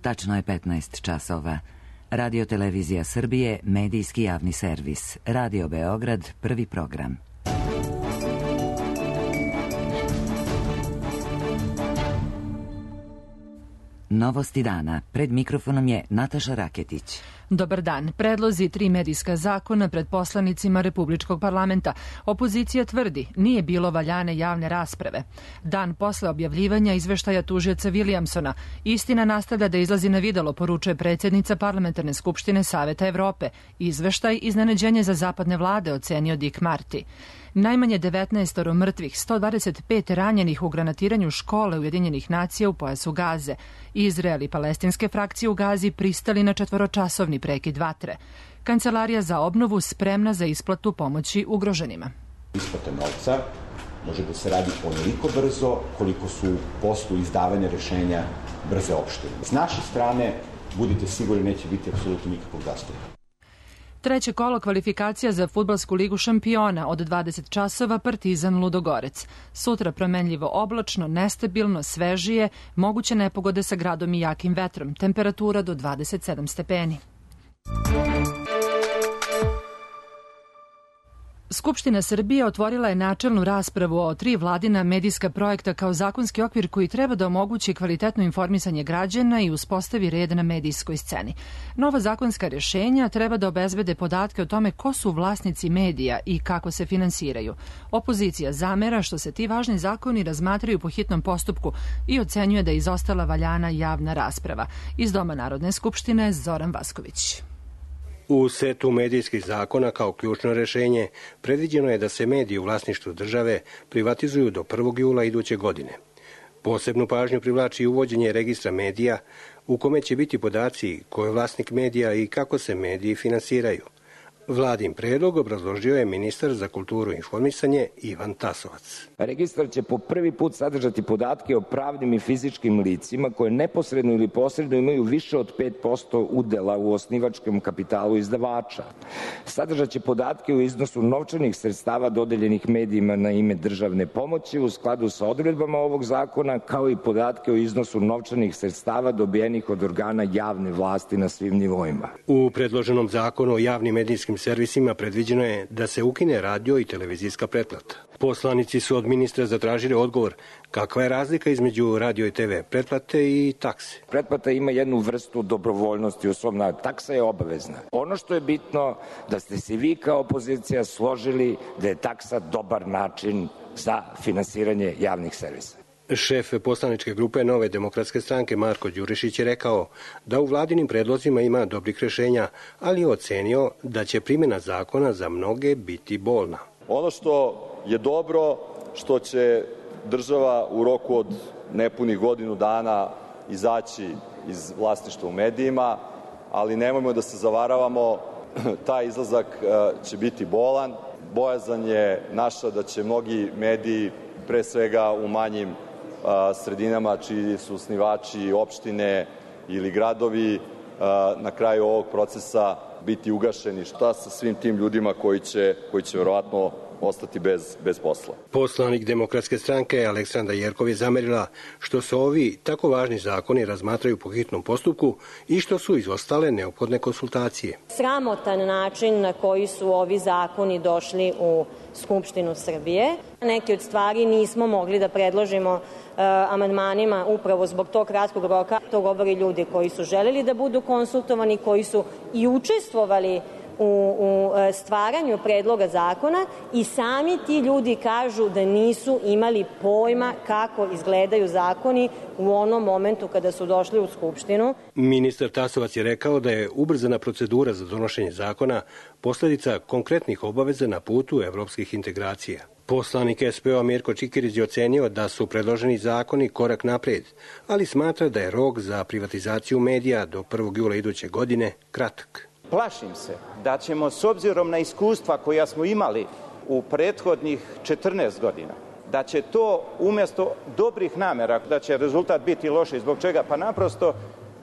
Tačno je 15 časova. Radio Televizija Srbije, medijski javni servis. Radio Beograd, prvi program. Novosti dana. Pred mikrofonom je Nataša Raketić. Dobar dan. Predlozi 3 medijska zakona pred poslanicima Republičkog parlamenta. Opozicija tvrdi, nije bilo valjane javne rasprave. Dan posle objavljivanja izveštaja tužioca Williamsona, istina nastavlja da izlazi na videlo, poručuje predsjednica Parlamentarne skupštine Saveta Evrope. Izveštaj iznenađenje za zapadne vlade, ocenio Dick Marty. Najmanje 19 mrtvih, 125 ranjenih u granatiranju škole Ujedinjenih nacija u pojasu Gaze. Izrael i palestinske frakcije u Gazi pristali na 4-časovni prekid vatre. Kancelarija za obnovu spremna za isplatu pomoći ugroženima. Isplata novca može da se radi onoliko brzo koliko su poslu izdavanja rešenja brze opštine. S naše strane, budite sigurni, neće biti apsolutno nikakvog zastoja. Treće kolo kvalifikacija za fudbalsku ligu šampiona od 20 časova Partizan Ludogorec. Sutra promenljivo oblačno, nestabilno, svežije, moguće nepogode sa gradom i jakim vetrom. Temperatura do 27 stepeni. Skupština Srbije otvorila je načelnu raspravu o 3 vladina medijska projekta kao zakonski okvir koji treba da omogući kvalitetno informisanje građana i uspostavi red na medijskoj sceni. Nova zakonska rješenja treba da obezbede podatke o tome ko su vlasnici medija i kako se finansiraju. Opozicija zamera što se ti važni zakoni razmatraju po hitnom postupku i ocenjuje da je izostala valjana javna rasprava. Iz Doma Narodne skupštine Zoran Vasković. U setu medijskih zakona kao ključno rešenje predviđeno je da se mediji u vlasništvu države privatizuju do 1. jula iduće godine. Posebnu pažnju privlači uvođenje registra medija u kome će biti podaci ko je vlasnik medija i kako se mediji finansiraju. Vladin predlog obrazložio je ministar za kulturu i informisanje Ivan Tasovac. Registar će po prvi put sadržati podatke o pravnim i fizičkim licima koje neposredno ili posredno imaju više od 5% udela u osnivačkom kapitalu izdavača. Sadržat će podatke o iznosu novčanih sredstava dodeljenih medijima na ime državne pomoći u skladu sa odredbama ovog zakona, kao i podatke o iznosu novčanih sredstava dobijenih od organa javne vlasti na svim nivoima. U predloženom zakonu o javnim medijskim servisima predviđeno je da se ukine radio i televizijska pretplata. Poslanici su od ministra zatražili odgovor kakva je razlika između radio i TV pretplate i takse. Pretplata ima jednu vrstu dobrovoljnosti u svom narodu. Taksa je obavezna. Ono što je bitno da ste se vi kao opozicija složili da je taksa dobar način za finansiranje javnih servisa. Šef poslaničke grupe Nove demokratske stranke Marko Đurišić je rekao da u vladinim predlozima ima dobrih rešenja, ali je ocenio da će primjena zakona za mnoge biti bolna. Ono što je dobro, što će država u roku od nepunih godinu dana izaći iz vlasništva u medijima, ali nemojmo da se zavaravamo, taj izlazak će biti bolan. Bojazan je naša da će mnogi mediji, pre svega u manjim sredinama čiji su osnivači opštine ili gradovi, na kraju ovog procesa biti ugašeni. Šta sa svim tim ljudima koji će verovatno ostati bez posla? Poslanik Demokratske stranke Aleksandra Jerkov je zamerila što se ovi tako važni zakoni razmatraju po hitnom postupku i što su izostale neophodne konsultacije. Sramotan način na koji su ovi zakoni došli u Skupštinu Srbije. Neke od stvari nismo mogli da predložimo amandmanima upravo zbog tog kratkog roka. To govori ljudi koji su želeli da budu konsultovani, koji su i učestvovali u stvaranju predloga zakona i sami ti ljudi kažu da nisu imali pojma kako izgledaju zakoni u onom momentu kada su došli u Skupštinu. Ministar Tasovac je rekao da je ubrzana procedura za donošenje zakona posledica konkretnih obaveza na putu evropskih integracija. Poslanik SPO Mirko Čikirić je ocenio da su predloženi zakoni korak napred, ali smatra da je rok za privatizaciju medija do 1. jula iduće godine kratak. Plašim se da ćemo, s obzirom na iskustva koja smo imali u prethodnih 14 godina, da će to umjesto dobrih namera, da će rezultat biti loši. Zbog čega? Pa naprosto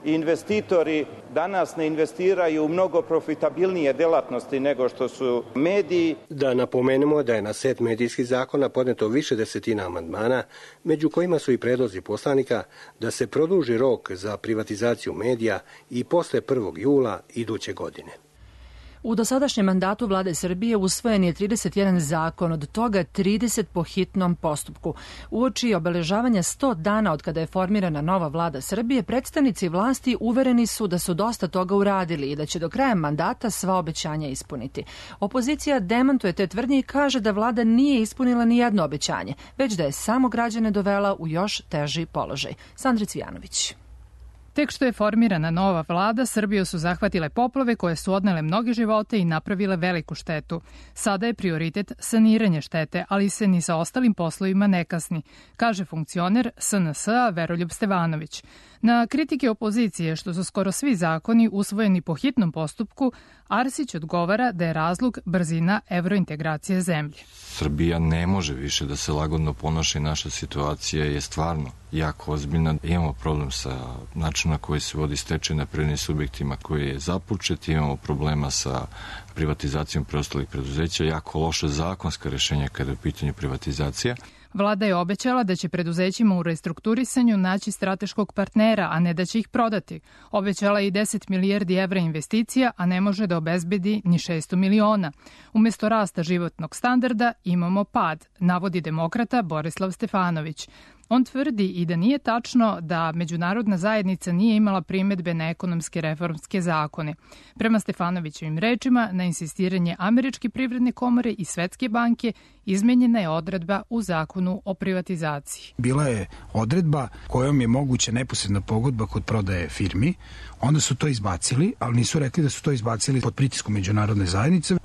investitori danas ne investiraju u mnogo profitabilnije delatnosti nego što su mediji. Da napomenemo da je na set medijskih zakona podneto više desetina amandmana, među kojima su i predlozi poslanika da se produži rok za privatizaciju medija i posle 1. jula iduće godine. U dosadašnjem mandatu vlade Srbije usvojen je 31 zakon, od toga 30 po hitnom postupku. Uoči obeležavanja 100 dana od kada je formirana nova vlada Srbije, predstavnici vlasti uvereni su da su dosta toga uradili i da će do kraja mandata sva obećanja ispuniti. Opozicija demantuje te tvrdnje i kaže da vlada nije ispunila ni jedno obećanje, već da je samo građane dovela u još teži položaj. Sandra Cvijanović. Tek što je formirana nova vlada, Srbiju su zahvatile poplave koje su odnele mnoge živote i napravile veliku štetu. Sada je prioritet saniranje štete, ali se ni sa ostalim poslovima ne kasni, kaže funkcioner SNS-a Veroljub Stevanović. Na kritike opozicije što su skoro svi zakoni usvojeni po hitnom postupku, Arsić odgovara da je razlog brzina evrointegracije zemlje. Srbija ne može više da se lagodno ponaša i naša situacija je stvarno jako ozbiljna. Imamo problem sa načinom na koji se vodi stečaj na privrednim subjektima koji je započet, imamo problema sa privatizacijom preostalih preduzeća, jako loše zakonska rešenja kada je u pitanju privatizacija. Vlada je obećala da će preduzećima u restrukturisanju naći strateškog partnera, a ne da će ih prodati. Obećala je i 10 milijardi evra investicija, a ne može da obezbedi ni 600 miliona. Umesto rasta životnog standarda imamo pad, navodi demokrata Borislav Stefanović. On tvrdi i da nije tačno da međunarodna zajednica nije imala primedbe na ekonomske reformske zakone. Prema Stefanovićevim rečima, na insistiranje Američke privredne komore i Svetske banke izmenjena je odredba u zakonu o privatizaciji. Bila je odredba kojom je moguća neposredna pogodba kod prodaje firmi. Onda su to izbacili, ali nisu rekli da su to izbacili pod pritiskom međunarodne zajednice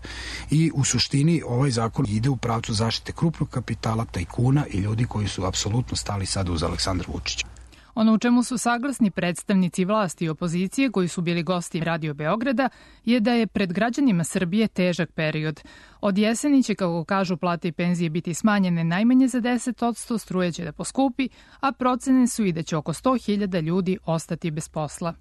i u suštini ovaj zakon ide u pravcu zaštite krupnog kapitala, tajkuna i ljudi koji su apsolutno stali sada uz Aleksandra Vučića. Ono u čemu su saglasni predstavnici vlasti i opozicije koji su bili gosti Radio Beograda je da je pred građanima Srbije težak period. Od jeseni će, kako kažu, plate i penzije biti smanjene najmanje za 10%, struje će da poskupi, a procene su i da će oko 100.000 ljudi ostati bez posla.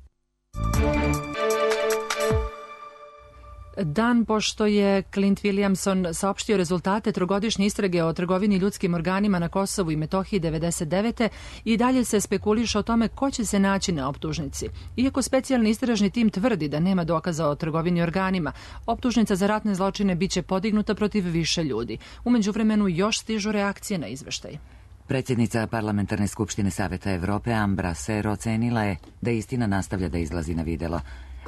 Dan pošto je Clint Williamson saopštio rezultate trogodišnje istrage o trgovini ljudskim organima na Kosovu i Metohiji 1999. i dalje se spekuliše o tome ko će se naći na optužnici. Iako specijalni istražni tim tvrdi da nema dokaza o trgovini organima, optužnica za ratne zločine biće podignuta protiv više ljudi. U međuvremenu još stižu reakcije na izveštaj. Predsjednica Parlamentarne skupštine Saveta Evrope Ambra Ser ocenila je da istina nastavlja da izlazi na videlo.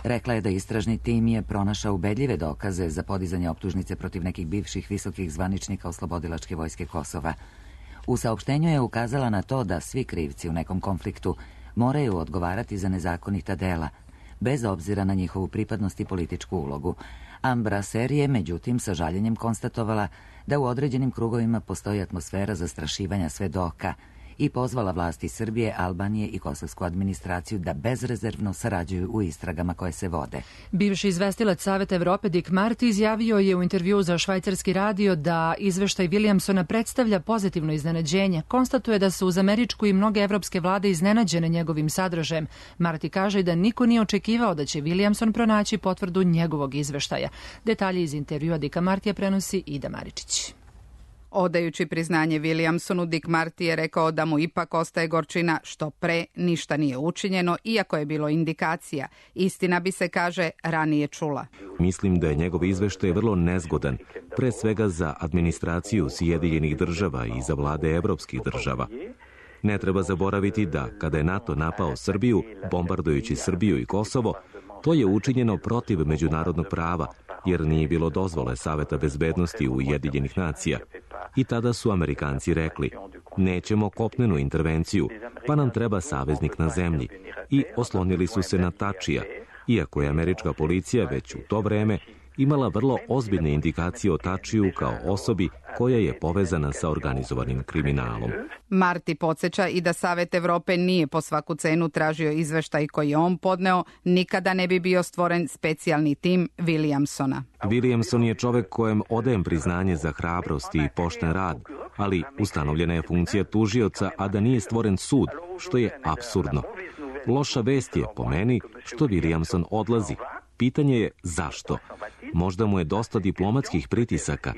Rekla je da istražni tim je pronašao ubedljive dokaze za podizanje optužnice protiv nekih bivših visokih zvaničnika Oslobodilačke vojske Kosova. U saopštenju je ukazala na to da svi krivci u nekom konfliktu moraju odgovarati za nezakonita dela, bez obzira na njihovu pripadnost i političku ulogu. Ambra Ser je, međutim, sa žaljenjem konstatovala da u određenim krugovima postoji atmosfera zastrašivanja svedoka i pozvala vlasti Srbije, Albanije i kosovsku administraciju da bezrezervno sarađuju u istragama koje se vode. Bivši izvestilac Saveta Evrope Dick Marty izjavio je u intervjuu za švajcarski radio da izveštaj Williamsona predstavlja pozitivno iznenađenje. Konstatuje da su uz američku i mnoge evropske vlade iznenađene njegovim sadržajem. Marty kaže da niko nije očekivao da će Williamson pronaći potvrdu njegovog izveštaja. Detalje iz intervjua Dicka Martija prenosi Ida Maričić. Odajući priznanje Williamsonu, Dick Marty je rekao da mu ipak ostaje gorčina što pre ništa nije učinjeno, iako je bilo indikacija. Istina bi se, kaže, ranije čula. Mislim da je njegov izveštaj vrlo nezgodan, pre svega za administraciju Sjedinjenih država i za vlade evropskih država. Ne treba zaboraviti da, kada je NATO napao Srbiju, bombardujući Srbiju i Kosovo, to je učinjeno protiv međunarodnog prava, jer nije bilo dozvole Saveta bezbednosti Ujedinjenih nacija. I tada su Amerikanci rekli, nećemo kopnenu intervenciju, pa nam treba saveznik na zemlji. I oslonili su se na Tačija, iako je američka policija već u to vreme imala vrlo ozbiljne indikacije o Tačiju kao osobi koja je povezana sa organizovanim kriminalom. Marty podsjeća i da Savet Evrope nije po svaku cenu tražio izveštaj koji je on podneo, nikada ne bi bio stvoren specijalni tim Williamsona. Williamson je čovek kojem odajem priznanje za hrabrost i pošten rad, ali ustanovljena je funkcija tužioca, a da nije stvoren sud, što je apsurdno. Loša vest je, po meni, što Williamson odlazi. Pitanje je zašto? Možda mu je dosta diplomatskih pritisaka.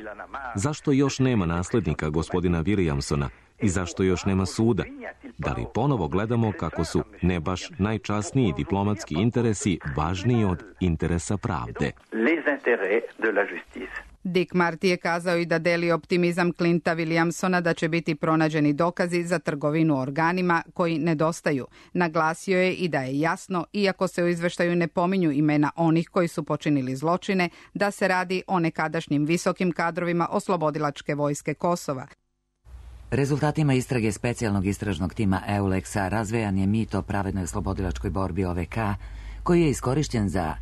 Zašto još nema naslednika gospodina Williamsona i zašto još nema suda? Da li ponovo gledamo kako su ne baš najčasniji diplomatski interesi važniji od interesa pravde? Dick Marty je kazao i da deli optimizam Clinta Williamsona da će biti pronađeni dokazi za trgovinu organima koji nedostaju. Naglasio je i da je jasno, iako se u izveštaju ne pominju imena onih koji su počinili zločine, da se radi o nekadašnjim visokim kadrovima oslobodilačke vojske Kosova. Rezultatima istrage specijalnog istražnog tima EULEX-a razvejan je mit o pravednoj oslobodilačkoj borbi OVK, koji je iskorišćen za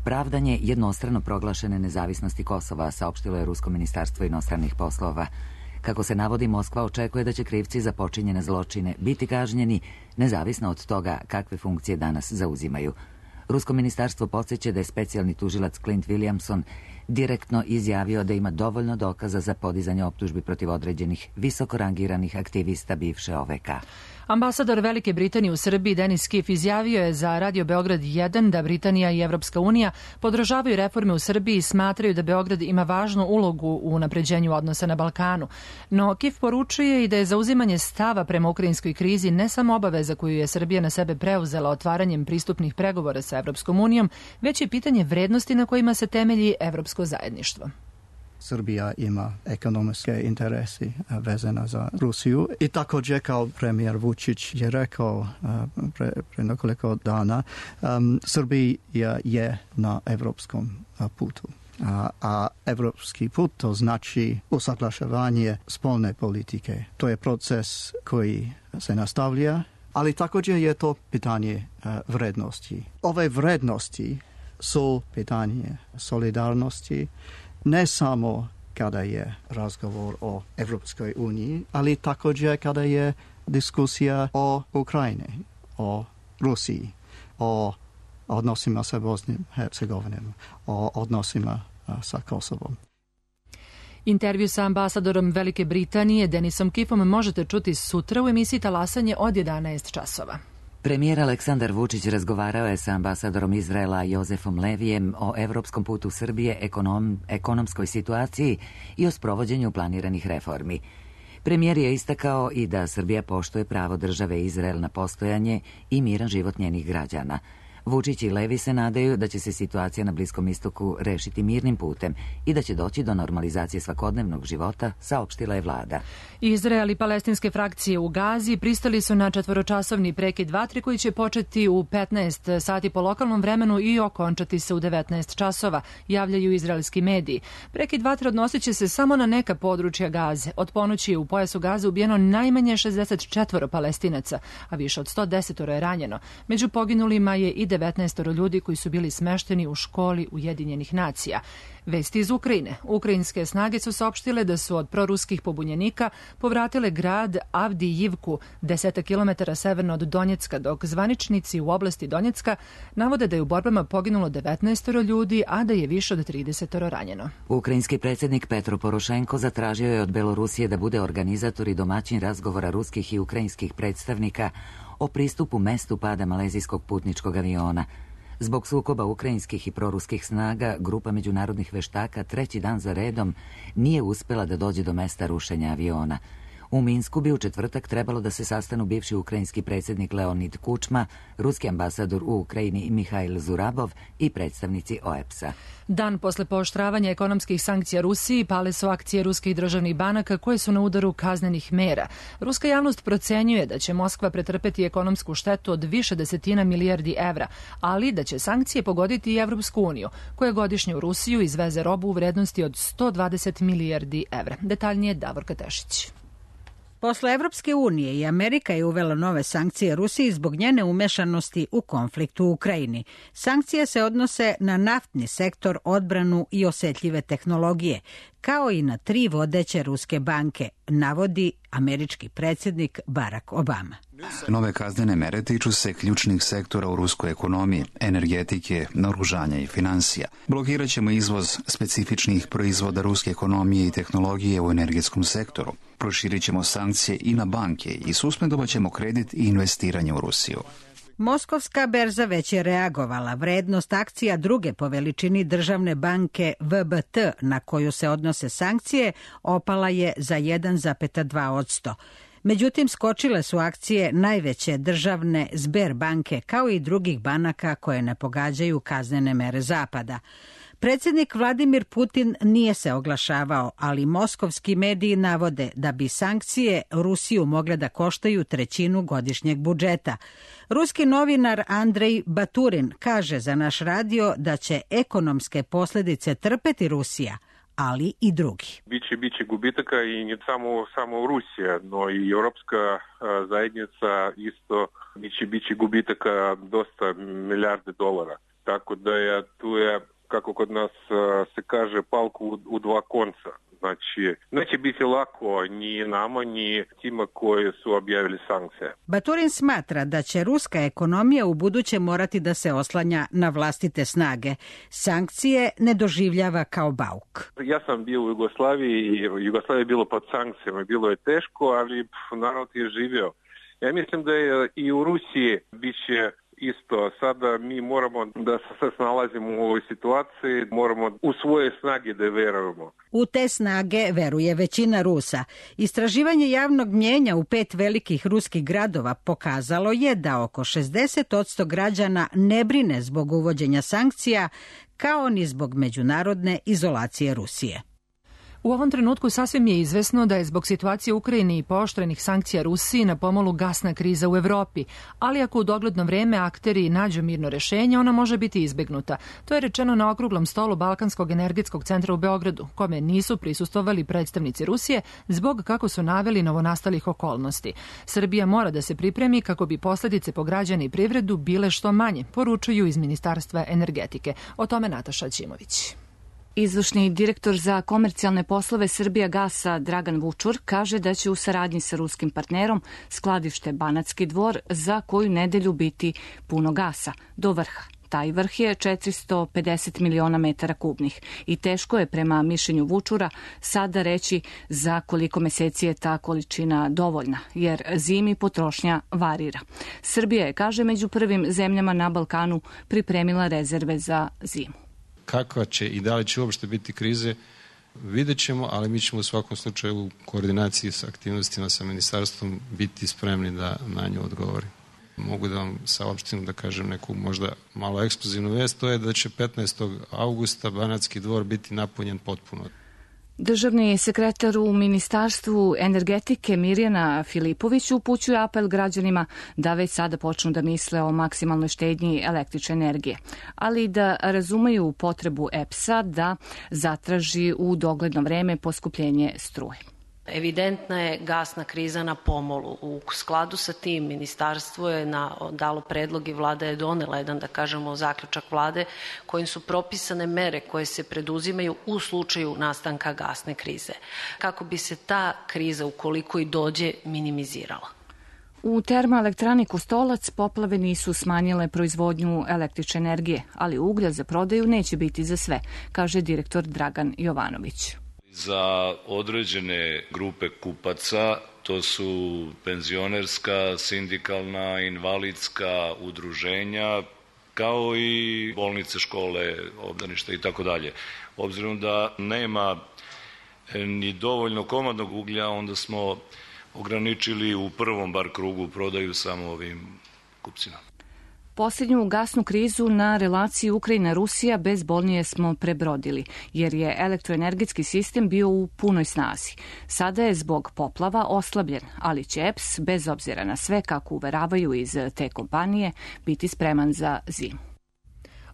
pravdanje jednostrano proglašene nezavisnosti Kosova, saopštilo je Rusko ministarstvo inostranih poslova. Kako se navodi, Moskva očekuje da će krivci za počinjene zločine biti kažnjeni, nezavisno od toga kakve funkcije danas zauzimaju. Rusko ministarstvo podsjeća da je specijalni tužilac Clint Williamson direktno izjavio da ima dovoljno dokaza za podizanje optužbi protiv određenih visoko rangiranih aktivista bivše OVK. Ambasador Velike Britanije u Srbiji Denis Kiff izjavio je za Radio Beograd 1 da Britanija i Evropska unija podržavaju reforme u Srbiji i smatraju da Beograd ima važnu ulogu u unapređenju odnosa na Balkanu. No Kiff poručuje i da je zauzimanje stava prema ukrajinskoj krizi ne samo obaveza koju je Srbija na sebe preuzela otvaranjem pristupnih pregovora sa Evropskom unijom, već i pitanje vrednosti na kojima se temelji evropsko zajedništvo. Srbija ima ekonomske interesi vezana za Rusiju i također kao premijer Vučić je rekao pre nekoliko dana, Srbija je na evropskom putu. A evropski put to znači usaglašavanje spolne politike. To je proces koji se nastavlja, ali također je to pitanje vrednosti. Ove vrednosti su pitanje solidarnosti, ne samo kada je razgovor o Evropskoj uniji, ali također kada je diskusija o Ukrajini, o Rusiji, o odnosima sa Bosnom i Hercegovinom, o odnosima sa Kosovom. Intervju sa ambasadorom Velike Britanije Denisom Kiffom možete čuti sutra u emisiji Talasanje od 11 časova. Premijer Aleksandar Vučić razgovarao je sa ambasadorom Izraela Jozefom Levijem o evropskom putu Srbije, ekonomskoj situaciji i o sprovođenju planiranih reformi. Premijer je istakao i da Srbija poštuje pravo države Izrael na postojanje i miran život njenih građana. Vučić i Levi se nadaju da će se situacija na Bliskom istoku rešiti mirnim putem i da će doći do normalizacije svakodnevnog života, saopštila je vlada. Izrael i palestinske frakcije u Gazi pristali su na 4-časovni prekid vatre koji će početi u 15 sati po lokalnom vremenu i okončati se u 19 časova, javljaju izraelski mediji. Prekid vatre odnosit će se samo na neka područja Gaze. Od ponoći je u pojasu Gaze ubijeno najmanje 64 Palestinaca, a više od 110 je ranjeno. Među poginulima je i 19 ljudi koji su bili smešteni u školi Ujedinjenih nacija. Vesti iz Ukrajine. Ukrajinske snage su saopštile da su od proruskih pobunjenika povratile grad Avdijivku, 10 km severno od Donjecka, dok zvaničnici u oblasti Donjecka navode da je u borbama poginulo 19 ljudi, a da je više od 30 ranjeno. Ukrajinski predsjednik Petro Porošenko zatražio je od Belorusije da bude organizator i domaćin razgovora ruskih i ukrajinskih predstavnika o pristupu mestu pada malezijskog putničkog aviona. Zbog sukoba ukrajinskih i proruskih snaga, grupa međunarodnih veštaka treći dan za redom nije uspela da dođe do mesta rušenja aviona. U Minsku bi u četvrtak trebalo da se sastanu bivši ukrajinski predsjednik Leonid Kučma, ruski ambasador u Ukrajini Mihail Zurabov i predstavnici OEBS-a. Dan posle pooštravanja ekonomskih sankcija Rusiji pale su akcije ruskih državnih banaka koje su na udaru kaznenih mera. Ruska javnost procenjuje da će Moskva pretrpeti ekonomsku štetu od više desetina milijardi evra, ali da će sankcije pogoditi i Evropsku uniju, koja godišnje u Rusiju izveze robu u vrednosti od 120 milijardi evra. Detaljnije Davorka Tešić. Posle Evropske unije i Amerika je uvela nove sankcije Rusiji zbog njene umešanosti u konflikt u Ukrajini. Sankcije se odnose na naftni sektor, odbranu i osetljive tehnologije, kao i na 3 vodeće ruske banke, navodi američki predsjednik Barack Obama. Nove kaznene mere tiču se ključnih sektora u ruskoj ekonomiji, energetike, naoružanja i finansija. Blokirat ćemo izvoz specifičnih proizvoda ruske ekonomije i tehnologije u energetskom sektoru. Proširit ćemo sankcije i na banke i suspendovat ćemo kredit i investiranje u Rusiju. Moskovska berza već je reagovala. Vrednost akcija druge po veličini državne banke VBT, na koju se odnose sankcije, opala je za 1,2%. Međutim, skočile su akcije najveće državne Sberbanke, kao i drugih banaka koje ne pogađaju kaznene mere Zapada. Predsjednik Vladimir Putin nije se oglašavao, ali moskovski mediji navode da bi sankcije Rusiju mogle da koštaju 1/3 godišnjeg budžeta. Ruski novinar Andrej Baturin kaže za naš radio da će ekonomske posljedice trpeti Rusija, ali i drugi. Biće gubitaka i ne samo Rusija, no i Europska zajednica isto biće gubitaka dosta milijarde dolara. Tako da tu je, kako kod nas se kaže, palku u dva konca. Znači, neće biti lako ni nama, ni tima koji su objavili sankcije. Baturin smatra da će ruska ekonomija u buduće morati da se oslanja na vlastite snage. Sankcije ne doživljava kao bauk. Ja sam bio u Jugoslaviji i Jugoslavija je bilo pod sankcijama. Bilo je teško, ali narod je živio. Ja mislim da je i u Rusiji biće isto. Sada mi moramo da se snalazimo u ovoj situaciji, moramo u svoje snage da verujemo. U te snage veruje većina Rusa. Istraživanje javnog mnjenja u 5 velikih ruskih gradova pokazalo je da oko 60% građana ne brine zbog uvođenja sankcija, kao ni zbog međunarodne izolacije Rusije. U ovom trenutku sasvim je izvesno da je zbog situacije u Ukrajini i pooštrenih sankcija Rusiji na pomolu gasna kriza u Evropi, ali ako u dogledno vreme akteri nađu mirno rešenje, ona može biti izbegnuta. To je rečeno na okruglom stolu Balkanskog energetskog centra u Beogradu, kome nisu prisustvovali predstavnici Rusije zbog, kako su naveli, novonastalih okolnosti. Srbija mora da se pripremi kako bi posljedice po građane i privredu bile što manje, poručuju iz Ministarstva energetike. O tome Nataša Ćimović. Izvršni direktor za komercijalne poslove Srbijagasa Dragan Vučur kaže da će u saradnji sa ruskim partnerom skladište Banatski Dvor za koju nedelju biti puno gasa do vrha. Taj vrh je 450 miliona metara kubnih i teško je, prema mišljenju Vučura, sada reći za koliko meseci je ta količina dovoljna, jer zimi potrošnja varira. Srbija je, kaže, među prvim zemljama na Balkanu pripremila rezerve za zimu. Kakva će i da li će uopšte biti krize, vidjet ćemo, ali mi ćemo u svakom slučaju u koordinaciji sa aktivnostima sa ministarstvom biti spremni da na nju odgovori. Mogu da vam saopštim, da kažem neku možda malo ekskluzivnu vest, to je da će 15. augusta Banatski Dvor biti napunjen potpuno. Državni sekretar u Ministarstvu energetike Mirjana Filipović upućuje apel građanima da već sada počnu da misle o maksimalnoj štednji električne energije, ali i da razumeju potrebu EPS-a da zatraži u dogledno vreme poskupljenje struje. Evidentna je gasna kriza na pomolu. U skladu sa tim ministarstvo je dalo predlog i vlada je donela jedan, da kažemo, zaključak vlade kojim su propisane mere koje se preduzimaju u slučaju nastanka gasne krize. Kako bi se ta kriza, ukoliko i dođe, minimizirala. U termoelektrani Kostolac poplave nisu smanjile proizvodnju električne energije, ali uglja za prodaju neće biti za sve, kaže direktor Dragan Jovanović. Za određene grupe kupaca, to su penzionerska, sindikalna, invalidska udruženja, kao i bolnice, škole, obdaništa i tako dalje. Obzirom da nema ni dovoljno komadnog uglja, onda smo ograničili u prvom bar krugu prodaju samo ovim kupcima. Posljednju gasnu krizu na relaciji Ukrajina-Rusija bezbolnije smo prebrodili, jer je elektroenergetski sistem bio u punoj snazi. Sada je zbog poplava oslabljen, ali će EPS, bez obzira na sve, kako uveravaju iz te kompanije, biti spreman za zimu.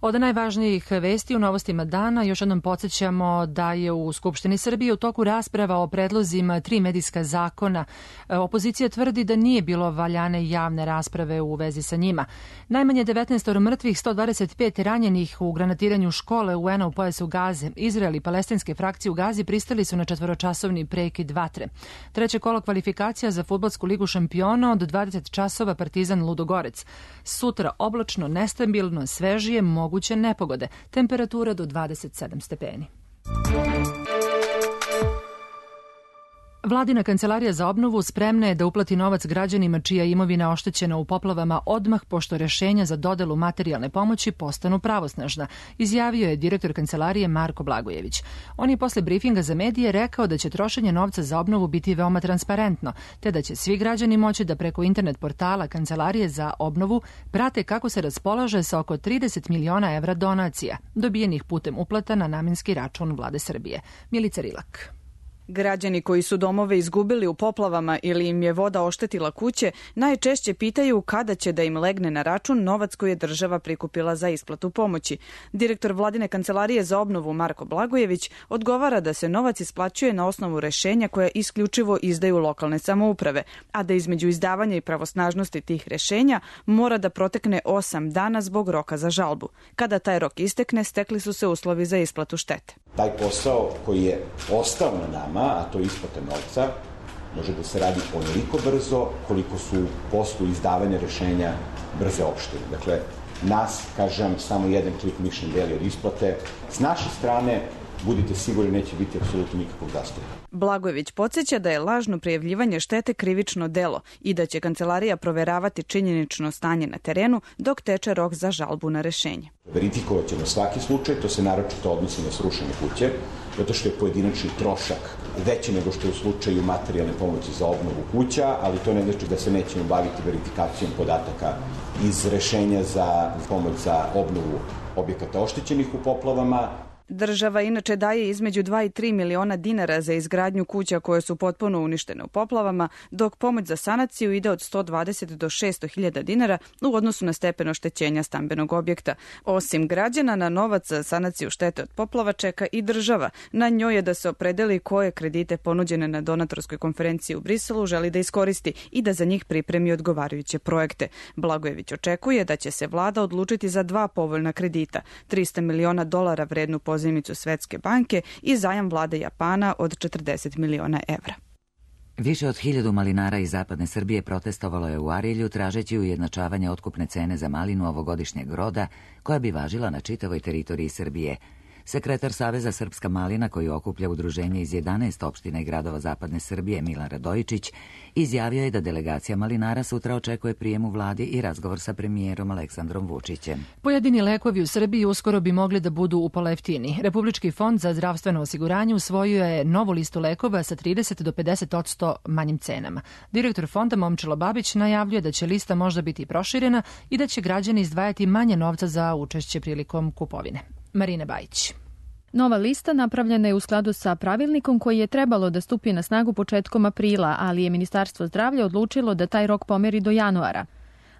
Od najvažnijih vesti u novostima dana još jednom podsjećamo da je u Skupštini Srbije u toku rasprava o predlozima 3 medijska zakona. Opozicija tvrdi da nije bilo valjane javne rasprave u vezi sa njima. Najmanje 19 mrtvih, 125 ranjenih u granatiranju škole UN-a u pojasu Gaze. Izrael i palestinske frakcije u Gazi pristali su na 4-časovni prekid vatre. Treće kolo kvalifikacija za fudbalsku ligu šampiona od 20 časova Partizan Ludogorec. Sutra oblačno, nestabilno, svežije, moguće nepogode. Temperatura do 27 stepeni. Vladina kancelarija za obnovu spremna je da uplati novac građanima čija je imovina oštećena u poplavama odmah pošto rešenja za dodelu materijalne pomoći postanu pravosnažna, izjavio je direktor kancelarije Marko Blagojević. On je posle brifinga za medije rekao da će trošenje novca za obnovu biti veoma transparentno, te da će svi građani moći da preko internet portala Kancelarije za obnovu prate kako se raspolaže sa oko 30 miliona evra donacija, dobijenih putem uplata na namenski račun Vlade Srbije. Milica Rilak. Građani koji su domove izgubili u poplavama ili im je voda oštetila kuće, najčešće pitaju kada će da im legne na račun novac koji je država prikupila za isplatu pomoći. Direktor Vladine kancelarije za obnovu Marko Blagojević odgovara da se novac isplaćuje na osnovu rešenja koje isključivo izdaju lokalne samouprave, a da između izdavanja i pravosnažnosti tih rešenja mora da protekne 8 dana zbog roka za žalbu. Kada taj rok istekne, stekli su se uslovi za isplatu štete. Taj posao koji je ostao na nama, a to je isplata novca, može da se radi onoliko brzo koliko su u poslu izdavanja rešenja brze opštine. Dakle, nas, kažem, samo jedan klik mišljen deli od isplate. S naše strane, budite sigurni, neće biti apsolutno nikakvog zastoja. Blagojević podsjeća da je lažno prijavljivanje štete krivično delo i da će kancelarija proveravati činjenično stanje na terenu dok teče rok za žalbu na rešenje. Verifikovat ćemo svaki slučaj, to se naročito odnosi na srušene kuće, zato što je pojedinačni trošak veći nego što je u slučaju materijalne pomoći za obnovu kuća, ali to ne znači da se nećemo baviti verifikacijom podataka iz rešenja za pomoć za obnovu objekata oštećenih u poplavama. Država inače daje između 2 i 3 miliona dinara za izgradnju kuća koje su potpuno uništene u poplavama, dok pomoć za sanaciju ide od 120 do 600 hiljada dinara u odnosu na stepen oštećenja stambenog objekta. Osim građana, na novac za sanaciju štete od poplava čeka i država. Na njoj je da se opredeli koje kredite ponuđene na donatorskoj konferenciji u Briselu želi da iskoristi i da za njih pripremi odgovarajuće projekte. Blagojević očekuje da će se vlada odlučiti za 2 povoljna kredita, $300 miliona vrednu pozajmicu Svetske banke i zajam vlade Japana od 40 miliona evra. Više od 1000 malinara iz zapadne Srbije protestovalo je u Arilju tražeći ujednačavanje otkupne cene za malinu ovogodišnjeg roda koja bi važila na čitavoj teritoriji Srbije. Sekretar Saveza Srpska malina, koji okuplja udruženje iz 11 opština i gradova zapadne Srbije, Milan Radojičić, izjavio je da delegacija malinara sutra očekuje prijem u vladi i razgovor sa premijerom Aleksandrom Vučićem. Pojedini lekovi u Srbiji uskoro bi mogli da budu upola jeftiniji. Republički fond za zdravstveno osiguranje usvojio je novu listu lekova sa 30 do 50% manjim cenama. Direktor fonda Momčilo Babić najavljuje da će lista možda biti proširena i da će građani izdvajati manje novca za učešće prilikom kupovine. Marina Bajić. Nova lista napravljena je u skladu sa pravilnikom koji je trebalo da stupi na snagu početkom aprila, ali je Ministarstvo zdravlja odlučilo da taj rok pomeri do januara.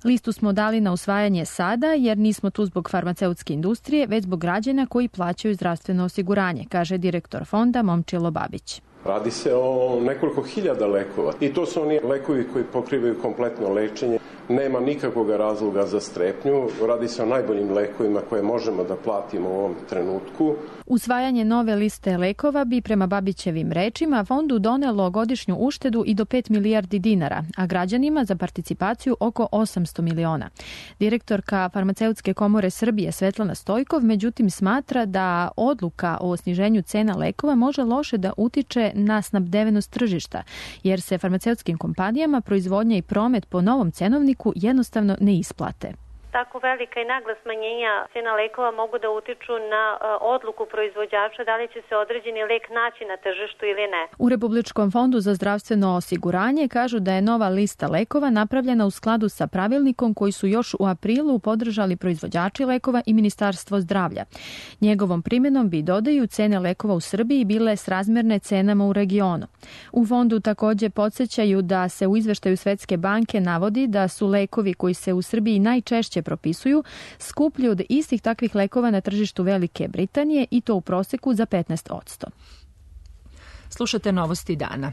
Listu smo dali na usvajanje sada jer nismo tu zbog farmaceutske industrije, već zbog građana koji plaćaju zdravstveno osiguranje, kaže direktor fonda Momčilo Babić. Radi se o nekoliko hiljada lekova i to su oni lekovi koji pokrivaju kompletno lečenje. Nema nikakvog razloga za strepnju. Radi se o najboljim lekovima koje možemo da platimo u ovom trenutku. Usvajanje nove liste lekova bi prema Babićevim rečima fondu donelo godišnju uštedu i do 5 milijardi dinara, a građanima za participaciju oko 800 miliona. Direktorka Farmaceutske komore Srbije Svetlana Stojkov međutim smatra da odluka o sniženju cena lekova može loše da utiče na snabdevenost tržišta, jer se farmaceutskim kompanijama proizvodnja i promet po novom cenovniku jednostavno ne isplate. Tako velika i nagla smanjenja cena lekova mogu da utiču na odluku proizvođača da li će se određeni lek naći na tržištu ili ne. U Republičkom fondu za zdravstveno osiguranje kažu da je nova lista lekova napravljena u skladu sa pravilnikom koji su još u aprilu podržali proizvođači lekova i Ministarstvo zdravlja. Njegovom primjenom bi, dodaju, cene lekova u Srbiji bile srazmerne cenama u regionu. U fondu također podsjećaju da se u izveštaju Svetske banke navodi da su lekovi koji se u Srbiji najčešće propisuju skuplji od istih takvih lekova na tržištu Velike Britanije i to u proseku za 15%. Slušate novosti dana.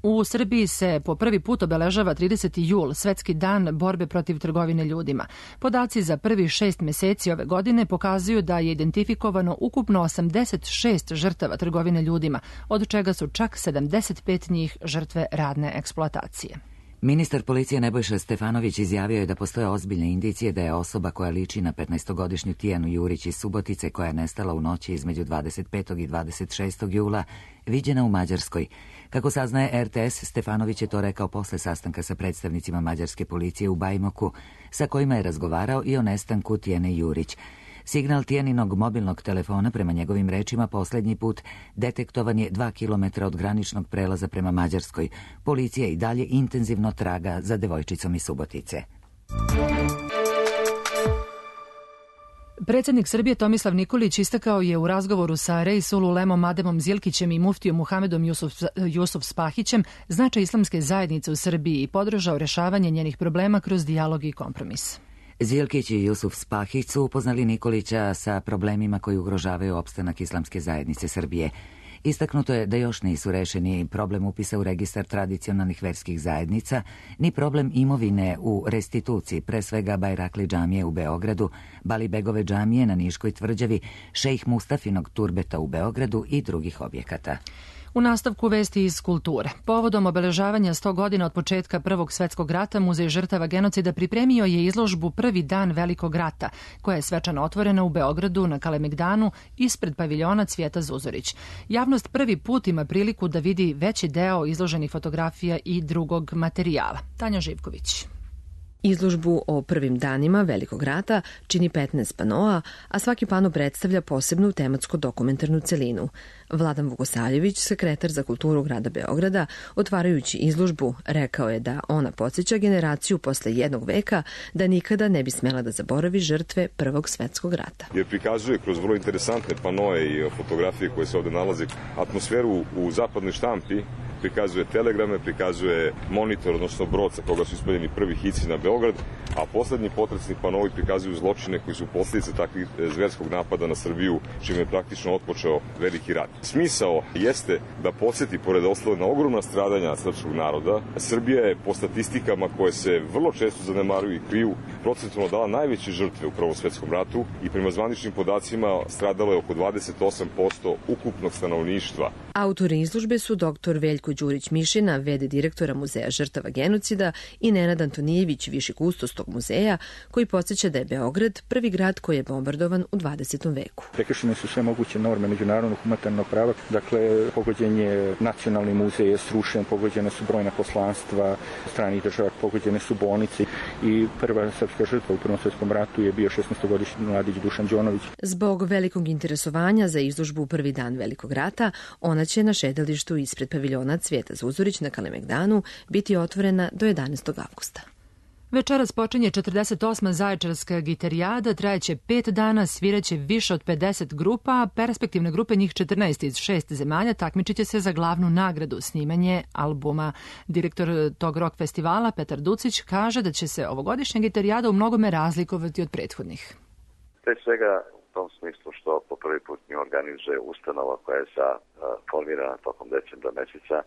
U Srbiji se po prvi put obeležava 30. jul, Svetski dan borbe protiv trgovine ljudima. Podaci za prvih 6 meseci ove godine pokazuju da je identifikovano ukupno 86 žrtava trgovine ljudima, od čega su čak 75 njih žrtve radne eksploatacije. Ministar policije Nebojša Stefanović izjavio je da postoje ozbiljne indicije da je osoba koja liči na 15-godišnju Tijanu Jurić iz Subotice, koja je nestala u noći između 25. i 26. jula, viđena u Mađarskoj. Kako saznaje RTS, Stefanović je to rekao posle sastanka sa predstavnicima mađarske policije u Bajmoku, sa kojima je razgovarao i o nestanku Tijane Jurić. Signal Tijaninog mobilnog telefona, prema njegovim rečima, posljednji put detektovan je 2 kilometra od graničnog prelaza prema Mađarskoj. Policija i dalje intenzivno traga za devojčicom iz Subotice. Predsjednik Srbije Tomislav Nikolić istakao je u razgovoru sa Reisul Ulemom Ademom Zilkićem i muftijom Muhamedom Jusuf Spahićem značaj islamske zajednice u Srbiji i podržao rešavanje njenih problema kroz dijalog i kompromis. Zilkić i Jusuf Spahić su upoznali Nikolića sa problemima koji ugrožavaju opstanak islamske zajednice Srbije. Istaknuto je da još nisu rešeni problem upisa u registar tradicionalnih verskih zajednica, ni problem imovine u restituciji, pre svega Bajrakli džamije u Beogradu, Balibegove džamije na Niškoj tvrđavi, Šejh Mustafinog turbeta u Beogradu i drugih objekata. U nastavku vesti iz kulture. Povodom obeležavanja 100 godina od početka Prvog svetskog rata, Muzej žrtava genocida pripremio je izložbu Prvi dan Velikog rata, koja je svečano otvorena u Beogradu na Kalemegdanu ispred paviljona Cvijeta Zuzorić. Javnost prvi put ima priliku da vidi veći deo izloženih fotografija i drugog materijala. Tanja Živković. Izložbu o prvim danima Velikog rata čini 15 panoa, a svaki pano predstavlja posebnu tematsko-dokumentarnu celinu. Vladan Vukosaljević, sekretar za kulturu grada Beograda, otvarajući izložbu, rekao je da ona podsjeća generaciju posle jednog veka da nikada ne bi smela da zaboravi žrtve Prvog svetskog rata. Jer prikazuje kroz vrlo interesantne panoe i fotografije koje se ovde nalaze atmosferu u zapadnoj štampi, prikazuje telegrame, prikazuje monitor, odnosno brod sa koga su ispaljeni prvi hici na Beograd, a poslednji potresni panovi prikazuju zločine koji su posljedice takvih zverskog napada na Srbiju, čime je praktično otpočeo Veliki rat. Smisao jeste da podsjeti, pored ostalo, na ogromna stradanja srpskog naroda. Srbija je po statistikama koje se vrlo često zanemaruju i kriju procentualno dala najveće žrtve u Prvom svetskom ratu i prema zvaničnim podacima stradalo je oko 28% ukupnog stanovništva. Autori izložbe su dr. Veljko Đurić-Mišina, v.d. direktora Muzeja žrtava genocida, i Nenad Antonijević, viši kustos tog muzeja, koji podsjeća da je Beograd prvi grad koji je bombardovan u 20. veku. Prekršene su sve moguće norme međunarodnog humanitarnog prava, dakle pogođen je nacionalni muzej, je srušen, pogođene su brojna poslanstva stranih država, pogođene su bolnice i prva srpska žrtva u Prvom svetskom ratu je bio 16-godišnji mladić Dušan Đonović. Zbog velikog interesovanja za izložbu Prvi dan Velikog rata, ona će na šetalištu ispred paviljona Cvijeta Zuzorić na Kalemegdanu biti otvorena do 11. avgusta. Večeras počinje 48. Zaječarska gitarijada, trajeće 5 dana, sviraće više od 50 grupa, a perspektivne grupe, njih 14 iz 6 zemalja, takmičit će se za glavnu nagradu, snimanje albuma. Direktor tog rock festivala, Petar Ducić, kaže da će se ovogodišnja gitarijada u mnogome razlikovati od prethodnih. Pre svega u tom smislu što po prvi put nju organizuje ustanova koja je formirana tokom decembra meseca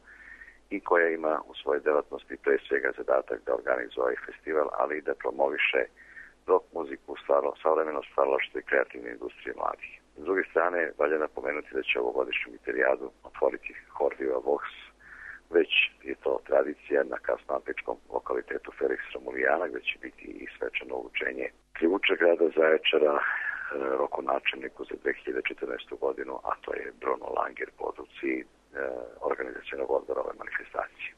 i koja ima u svojoj delatnosti pre svega zadatak da organizuje ovaj festival, ali i da promoviše rock muziku, savremeno stvaralaštvo i kreativne industrije mladih. S druge strane, valja napomenuti da će ovogodišnju gitarijadu otvoriti hor Viva Vox, već je to tradicija na kasnoantičkom lokalitetu Felix Romulijana, gde će biti i svečano uručenje ključa grada Zaječara rokonačelniku za 2014. godinu, a to je Bruno Langer po odluci organizacionog odbora ove manifestacije.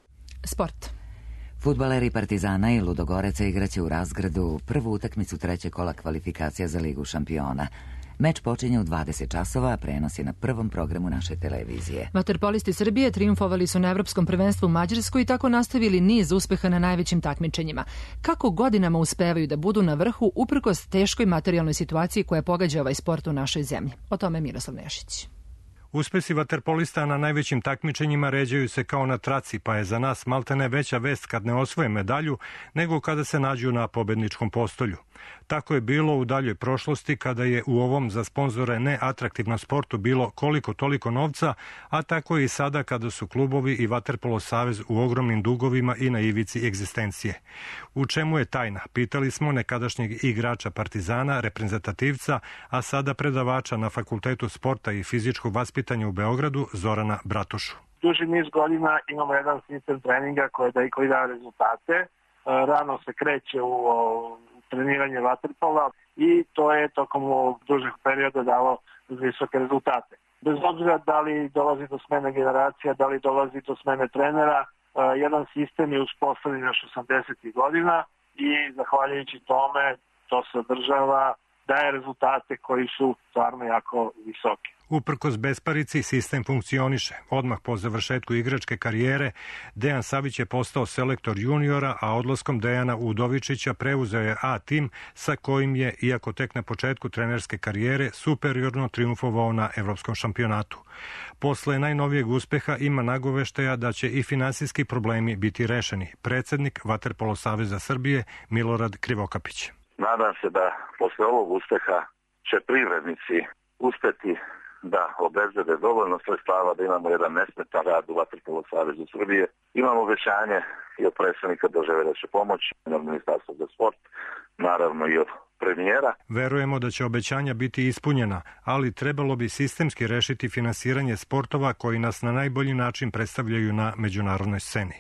Sport. Fudbaleri Partizana i Ludogoreca igraće u Razgradu prvu utakmicu trećeg kola kvalifikacija za Ligu šampiona. Meč počinje u 20 časova, a prenos je na prvom programu naše televizije. Vaterpolisti Srbije triumfovali su na Evropskom prvenstvu u Mađarskoj i tako nastavili niz uspeha na najvećim takmičenjima. Kako godinama uspevaju da budu na vrhu uprkos teškoj materijalnoj situaciji koja pogađa ovaj sport u našoj zemlji? O tome Miroslav Nešić. Uspesi vaterpolista na najvećim takmičenjima ređaju se kao na traci, pa je za nas maltene veća vest kad ne osvoje medalju nego kada se nađu na pobedničkom postolju. Tako je bilo u daljoj prošlosti kada je u ovom za sponzore neatraktivnom sportu bilo koliko toliko novca, a tako je i sada kada su klubovi i Vaterpolo savez u ogromnim dugovima i na ivici egzistencije. U čemu je tajna? Pitali smo nekadašnjeg igrača Partizana, reprezentativca, a sada predavača na Fakultetu sporta i fizičkog vaspitanja vaspitanja u Beogradu Zorana Bratušu. Duži niz godina imamo jedan sistem treninga koji daje rezultate. Rano se kreće u treniranje vaterpola i to je tokom ovog dužeg perioda dalo visoke rezultate. Bez obzira da li dolazi do smene generacija, da li dolazi do smene trenera, jedan sistem je uspostavljen još 80. godina i zahvaljujući tome to se održava, daje rezultate koji su stvarno jako visoki. Uprkos besparici, sistem funkcioniše. Odmah po završetku igračke karijere, Dejan Savić je postao selektor juniora, a odlaskom Dejana Udovičića preuzeo je A tim sa kojim je, iako tek na početku trenerske karijere, superiorno triumfovao na evropskom šampionatu. Posle najnovijeg uspeha ima nagoveštaja da će i finansijski problemi biti rešeni. Predsednik Vaterpolo saveza Srbije Milorad Krivokapić. Nadam se da posle ovog uspeha će privrednici uspeti da obezbede dovoljno sredstava da imamo jedan nesmetan rad u Vaterpolo savezu Srbije. Imamo obećanje i od predsednika države da će pomoći, od Ministarstva za sport, naravno i od premijera. Verujemo da će obećanja biti ispunjena, ali trebalo bi sistemski rešiti finansiranje sportova koji nas na najbolji način predstavljaju na međunarodnoj sceni.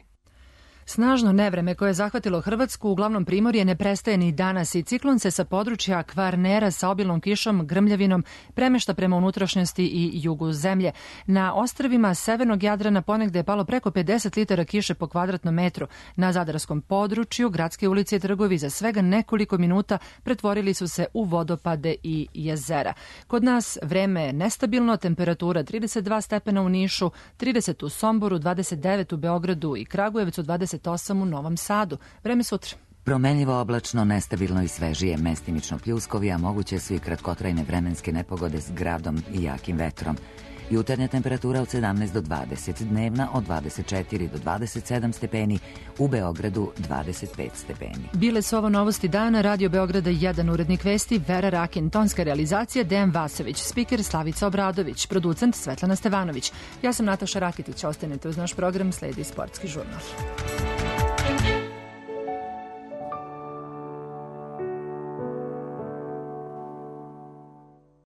Snažno nevreme koje je zahvatilo Hrvatsku, uglavnom primorje, ne prestaje ni danas i ciklon se sa područja Kvarnera sa obilnom kišom, grmljavinom premešta prema unutrašnjosti i jugu zemlje. Na ostrvima severnog Jadrana ponegde je palo preko 50 litara kiše po kvadratnom metru. Na zadarskom području gradske ulice i trgovi za svega nekoliko minuta pretvorili su se u vodopade i jezera. Kod nas vreme je nestabilno, temperatura 32 stepena u Nišu, 30 u Somboru, 29 u Beogradu i Kragujevcu, 28 u Novom Sadu. Vreme sutra. Promenljivo oblačno, nestabilno i svežije, mestimično pljuskovi, a moguće su i kratkotrajne vremenske nepogode s gradom i jakim vetrom. Jutarnja temperatura od 17 do 20, dnevna od 24 do 27 stepeni, u Beogradu 25 stepeni. Bile su ovo novosti dana, Radio Beograda 1, urednik vesti Vera Rakin, tonska realizacija Dejan Vasović, spiker Slavica Obradović, producent Svetlana Stevanović. Ja sam Nataša Rakitić, ostanite uz naš program, sledi sportski žurnal.